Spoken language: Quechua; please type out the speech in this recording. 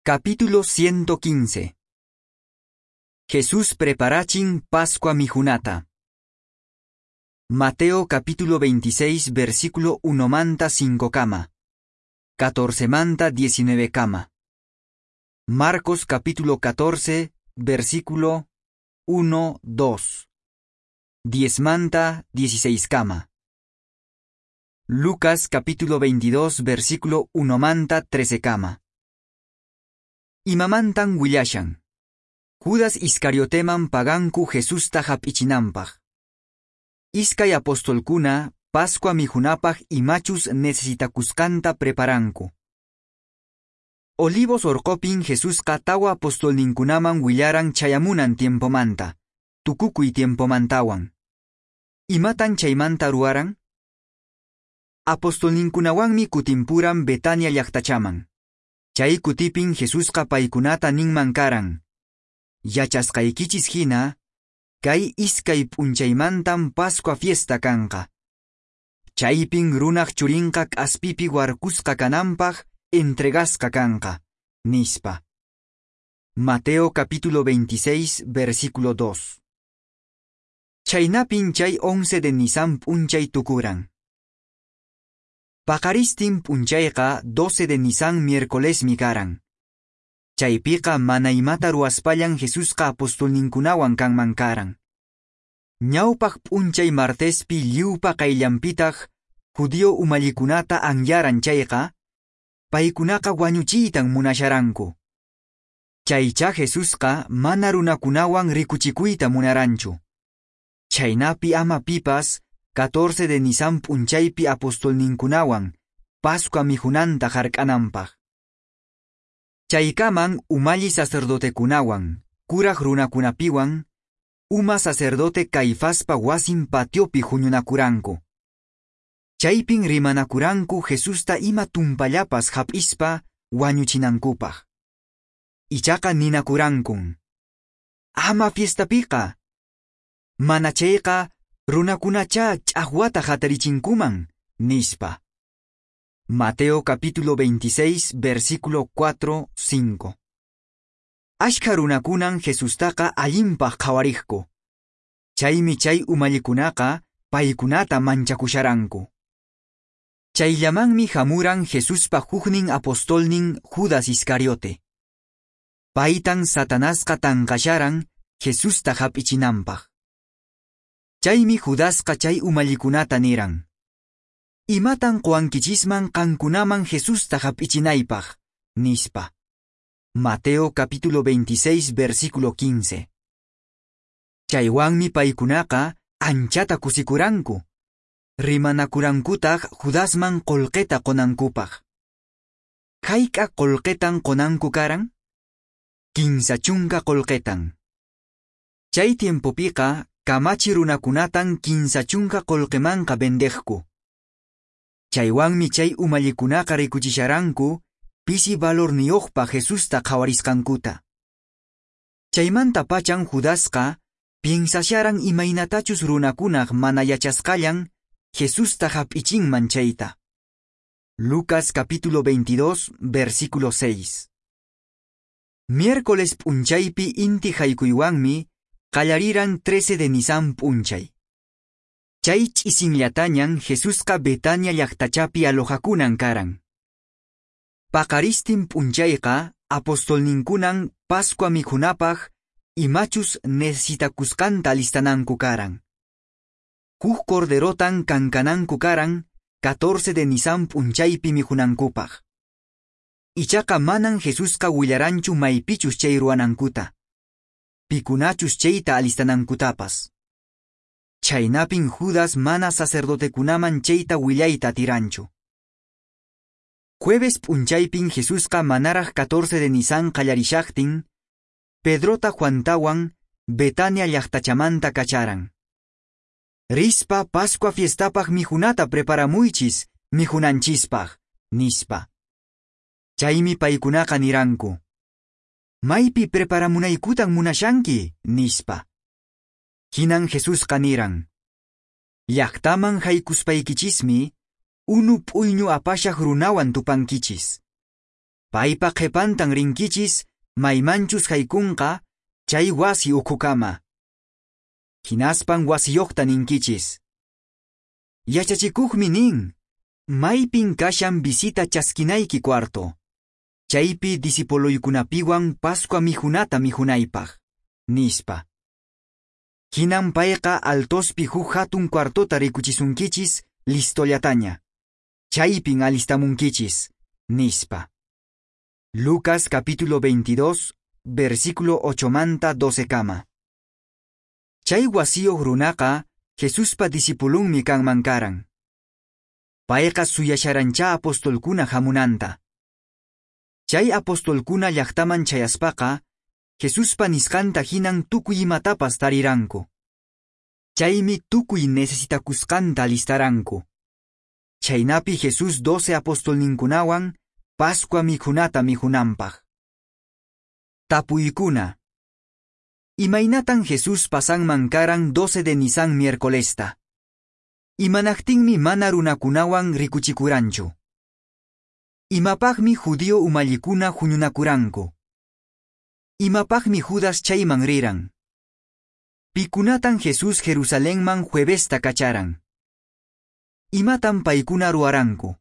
Capítulo 115. Jesús preparachin Pascua mikhunata. Mateo capítulo 26 versículo 1 manta 5 kama. 14 manta 19 kama. Marcos capítulo 14 versículo 1, 2. 10 manta 16 kama. Lucas capítulo 22 versículo 1 manta 13 kama. Imamantan willashan. Judas Iscarioteman paganku Jesusta hap'ichinanpaq. Iskay apostolkuna Pascua mikhunapaq imachus necesitakusqanta preparanku. Olivos orqopin Jesusqa tawa apostolninkunaman willaran chayamunan tiempomanta, tukukuy tiempomantawan. Imatan chaymanta ruwaran? Apostolninkunawanmi kutimpuran Betania llaqtachaman. Chay kutipin Jesusqa paykunata ninman karan. Yachasqaykichis hina, kay iskay p'unchaymantan Pascua fiesta kanqa. Chaypin runaq churinqa k'aspipi warkusqa kananpaq entregasqa kanqa, nispa. Mateo capítulo 26, versículo 2. Chaynapin chay 11 de Nisan p'unchay tukuran. Paqaristin p'unchayqa 12 de Nisan miércolesmi karan. Chaypiqa mana imata ruwaspallan Jesusqa apostolninkunawan kanman karan. Ñawpaq p'unchay martespi lliwpa qayllanpitaq judío umallikunata anyaran chayqa, paykunaqa wañuchiytan munasharanku. Chaycha Jesusqa mana runakunawan rikuchikuyta munaranchu. Chaynapi ama pipas 14 de Nisan p'unchaypi apostolninkunawan Pascua mikhunanta hark'ananpaq. Chaykaman umalli sacerdotekunawan, kuraq runakunapiwan, uma sacerdote Caifaspa wasin patiopi huñunakuranku. Chaypin rimanakuranku Jesusta ima tumpallapas hap'ispa wañuchinankupaq. Ichaqa ninakurankun. Ama fiestapiqa. Mana chayqa runakunacha ch'aqwata hatarichinkuman, nispa. Mateo capítulo 26, versículo 4, 5. Ashkha runakunan Jesustaqa allinpaq qhawariqku. Chaymi chay umallikunaqa paykunata manchakusharanku. Chayllamanmi hamuran Jesuspa huknin apostolnin Judas Iscariote. Paytan Satanasqa tanqasharan Jesusta hap'ichinanpaq. Chaymi Judasqa chay umallikunata niran. Imatan quwankichisman qankunaman Jesusta hap'ichinaypaq, nispa. Mateo capítulo 26, versículo 15. Chaywanmi paykunaqa anchata kusikuranku. Rimanakurankutaq Judasman qullqita qunankupaq. Hayk'a qullqitan qunanku karan? 30 qullqitan. Chay tiempopiqa kamachi runakunatan 30 qullqimanqa vendeqku. Chaywanmi chay umallikunaqa rikuchisharanku pisi valorniyuqpa Jesusta qhawarisqankuta. Chaymanta pachan Judasqa piensasharan imaynatachus runakunaq mana yachasqallan Jesusta hap'ichinman chayta. Lucas capítulo 22, versículo 6. Miércoles p'unchaypi inti haykuywanmi qallariran 13 de Nisan p'unchay. Chay ch'isinllatañan Jesusqa Betania llaqtachapi alojakunan karan. Paqaristin p'unchayqa apostolninkunan Pascua mikhunapaq imachus necesitakusqanta alistananku karan. Huk corderotan kankananku karan 14 de Nisan p'unchaypi mikhunankupaq. Ichaqa manan Jesusqa willaranchu maypichus chay ruwanankuta. Pikunachus chayta alistanankutapas. Chaynapin Judas mana sacerdotekunaman chayta willayta atiranchu. Jueves p'unchaypin Jesusqa manaraq 14 de Nisan qallarishaqtin, Pedrota Juantawan Betania llaqtachamanta kacharan. Rispa Pascua fiestapaq mikhunata preparamuychis mikhunanchispaq, nispa. Chaymi paykunaqa niranku. Maypi preparamunaykutan munashanki, nispa. Hinan Jesusqa niran. Llaqtaman haykuspaykichismi, unu p'uyñu apashaq runawan tupankichis. Paypa qhepantan rinkichis maymanchus haykunqa chay wasi ukhukama. Hinaspan wasiyoqta ninkichis: Yachachikuqmi nin, maypin kashan visita chaskinayki cuarto, chaypi discipuloykunapiwan Pascua mikhunata mikhunaypaq, nispa. Hinan payqa altospi huk hatun cuartota rikuchisunkichis listollataña. Chaypin alistamunkichis, nispa. Lucas capítulo 22, versículo 8 manta 12 kama. Chay wasiyuq runaqa Jesuspa discipulunmi kanman karan. Payqa suyasharancha apostolkuna hamunanta. Chay apostolkuna llaqtaman chayaspaqa, Jesuspa nisqanta hinan tukuy imatapas tariranku. Chaymi tukuy necesitakusqanta alistaranku. Chhaynapi Jesús 12 apostolninkunawan Pascua mikhunata mikhunanpaq. Tapuykuna. Imaynatan Jesús pasanman karan 12 de Nisan miércolesta? Imanaqtinmi mana runakunawan rikuchikuranchu? Imapaqmi judío umallikuna huñunakuranku? Imapaqmi Judas chayman riran? Pikunatan Jesús Jerusalenman juevesta kacharan? Imatan paykuna ruwaranku?